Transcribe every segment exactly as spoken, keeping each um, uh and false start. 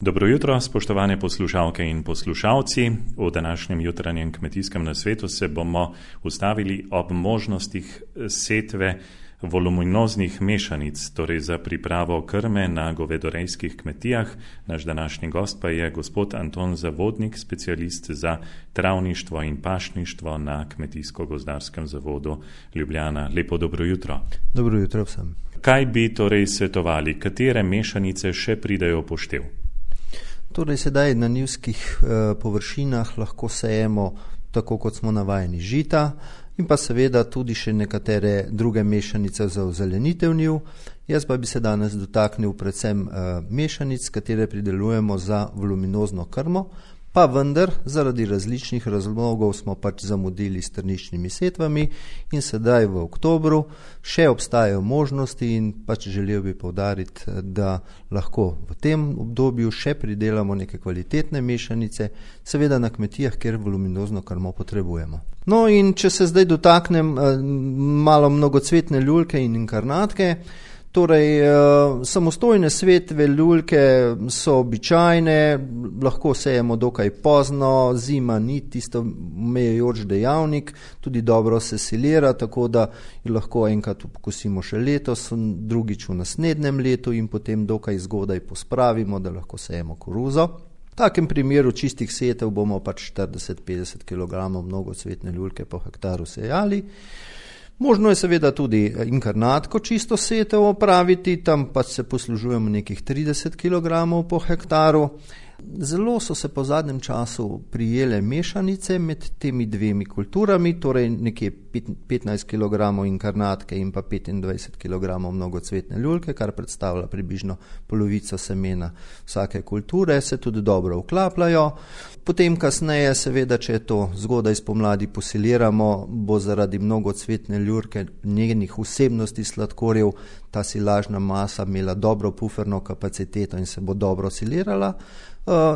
Dobro jutro, spoštovane poslušalke in poslušalci. V današnjem jutranjem kmetijskem nasvetu se bomo ustavili ob možnostih setve voluminoznih mešanic, torej za pripravo krme na govedorejskih kmetijah. Naš današnji gost pa je gospod Anton Zavodnik, specialist za travništvo in pašništvo na Kmetijsko-gozdarskem zavodu Ljubljana. Lepo dobro jutro. Dobro jutro vsem. Kaj bi torej svetovali, katere mešanice še pridejo v poštev? Torej sedaj na njivskih eh, površinah lahko sejemo tako, kot smo navajeni, žita in pa seveda tudi še nekatere druge mešanice za ozelenitev njiv. Jaz pa bi se danes dotaknil predvsem eh, mešanic, katere pridelujemo za voluminozno krmo, pa vendar zaradi različnih razlogov smo pač zamudili s trničnimi setvami in sedaj v oktobru še obstajajo možnosti in pač želel bi poudariti, da lahko v tem obdobju še pridelamo neke kvalitetne mešanice, seveda na kmetijah, kjer voluminozno krmo potrebujemo. No in če se zdaj dotaknem eh, malo mnogocvetne ljuljke in inkarnatke, Torej, samostojne svetve ljuljke so običajne, lahko sejemo dokaj pozno, zima ni tisto omejujoč dejavnik, tudi dobro se silira, tako da lahko enkrat pokosimo še letos, drugič v naslednjem letu in potem dokaj zgodaj pospravimo, da lahko sejemo koruzo. V takem primeru čistih setev bomo pač štirideset do petdeset kilogramov mnogocvetne ljuljke po hektaru sejali. Možno je seveda tudi inkarnatko čisto setev opraviti, tam pa se poslužujemo nekih trideset kilogramov po hektaru. Zelo so se po zadnjem času prijele mešanice med temi dvemi kulturami, torej nekje petnajst kilogramov inkarnatke in pa petindvajset kilogramov mnogocvetne ljuljke, kar predstavlja približno polovico semena vsake kulture, se tudi dobro vklapljajo. Potem kasneje, seveda, če to zgodaj spomladi posiliramo, bo zaradi mnogocvetne ljuljke njenih vsebnosti sladkorjev ta silažna masa imela dobro puferno kapaciteto in se bo dobro silirala.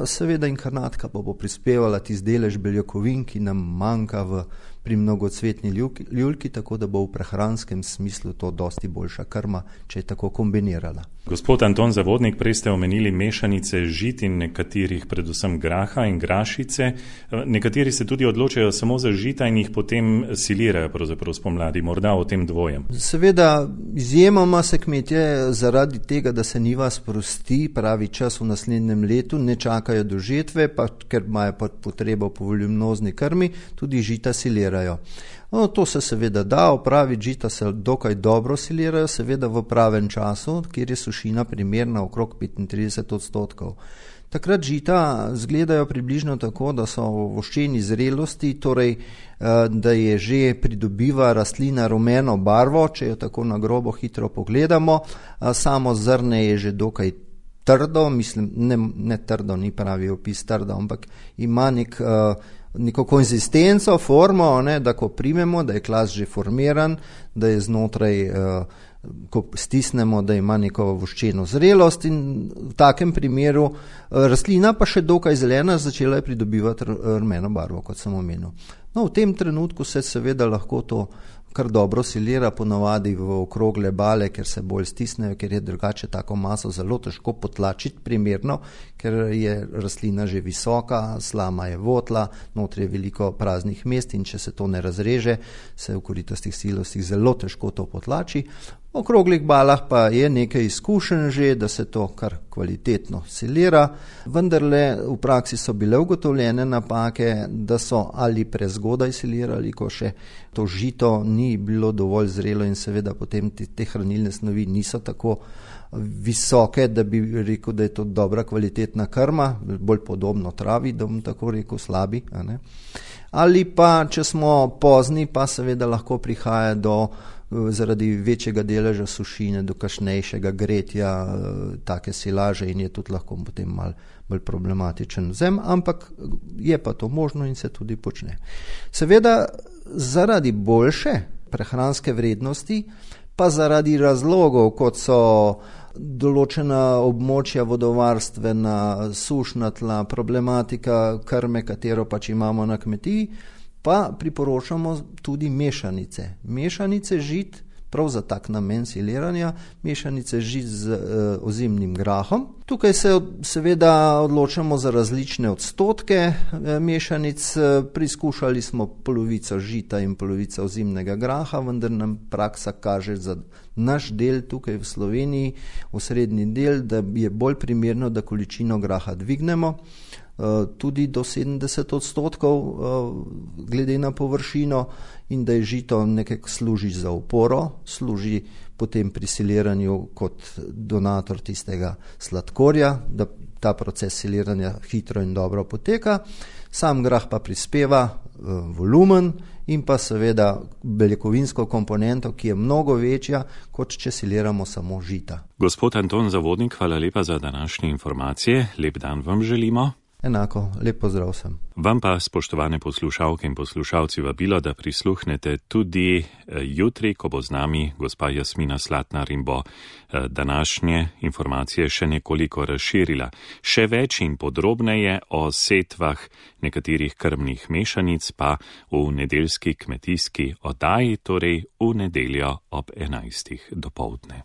Seveda inkarnatka pa bo prispevala tisti delež beljakovin, ki nam manjka v, pri mnogocvetni ljuljki, tako da bo v prehranskem smislu to dosti boljša krma, če je tako kombinirala. Gospod Anton Zavodnik, prej ste omenili mešanice žit in nekaterih, predvsem graha in grašice. Nekateri se tudi odločajo samo za žita in jih potem silirajo pravzaprav spomladi, morda o tem dvojem. Seveda, izjemoma se kmetje zaradi tega, da se njiva sprosti, pravi čas v naslednjem letu, ne čakajo do žetve, pa ker imajo potrebo po voluminozni krmi, tudi žita silirajo. No, to se seveda da, opraviti žita se dokaj dobro silirajo, seveda v pravem času, kjer je sušina primerna okrog petintrideset odstotkov. Takrat žita zgledajo približno tako, da so v voščeni zrelosti, torej da je že pridobiva rastlina rumeno barvo, če jo tako na grobo hitro pogledamo, samo zrne je že dokaj trdo, mislim, ne, ne trdo, ni pravi opis trdo, ampak ima nek neko konzistenco, formo, ne, da ko primemo, da je klas že formiran, da je znotraj, eh, ko stisnemo, da ima neko voščeno zrelost in v takem primeru eh, rastlina pa še dokaj zelena, začela je pridobivati rumeno barvo, kot sem omenil. No, v tem trenutku se seveda lahko to kar dobro silira, ponavadi v okrogle bale, ker se bolj stisnejo, ker je drugače tako maso zelo težko potlačiti primerno, ker je rastlina že visoka, slama je votla, notri je veliko praznih mest in če se to ne razreže, se v koritastih silosih zelo težko to potlači. V okroglih balah pa je nekaj izkušenj že, da se to kar kvalitetno silira, vendarle v praksi so bile ugotovljene napake, da so ali prezgodaj silirali, ko še to žito ni bilo dovolj zrelo in seveda potem te, te hranilne snovi niso tako visoke, da bi rekel, da je to dobra kvalitetna krma, bolj podobno travi, da bom tako rekel, slabi. A ne? Ali pa, če smo pozni, pa seveda lahko prihaja do zaradi večjega deleža sušine, do kasnejšega gretja take silaže in je tudi lahko potem malo bolj problematičen vzem, ampak je pa to možno in se tudi počne. Seveda zaradi boljše prehranske vrednosti, pa zaradi razlogov, kot so določena območja vodovarstvena, sušna tla, problematika krme, katero pač imamo na kmetiji, pa priporočamo tudi mešanice. Mešanice žit prav za tak namen siliranja mešanice žit z uh, ozimnim grahom. Tukaj se seveda odločamo za različne odstotke uh, mešanic. Priskušali smo polovico žita in polovico ozimnega graha, vendar nam praksa kaže za naš del tukaj v Sloveniji, osrednji del, da je bolj primerno, da količino graha dvignemo tudi do sedemdeset odstotkov glede na površino in da je žito nekako služi za oporo, služi potem pri siliranju kot donator tistega sladkorja, da ta proces siliranja hitro in dobro poteka. Sam grah pa prispeva volumen in pa seveda beljakovinsko komponento, ki je mnogo večja, kot če siliramo samo žita. Gospod Anton Zavodnik, hvala lepa za današnje informacije. Lep dan vam želimo. Enako, lep pozdrav sem. Vam pa, spoštovane poslušalke in poslušalci, vabilo, da prisluhnete tudi jutri, ko bo z nami gospa Jasmina Slatnar in bo današnje informacije še nekoliko razširila. Še več in podrobneje o setvah nekaterih krmnih mešanic pa v nedeljski kmetijski oddaji, torej v nedeljo ob enajstih dopoldne.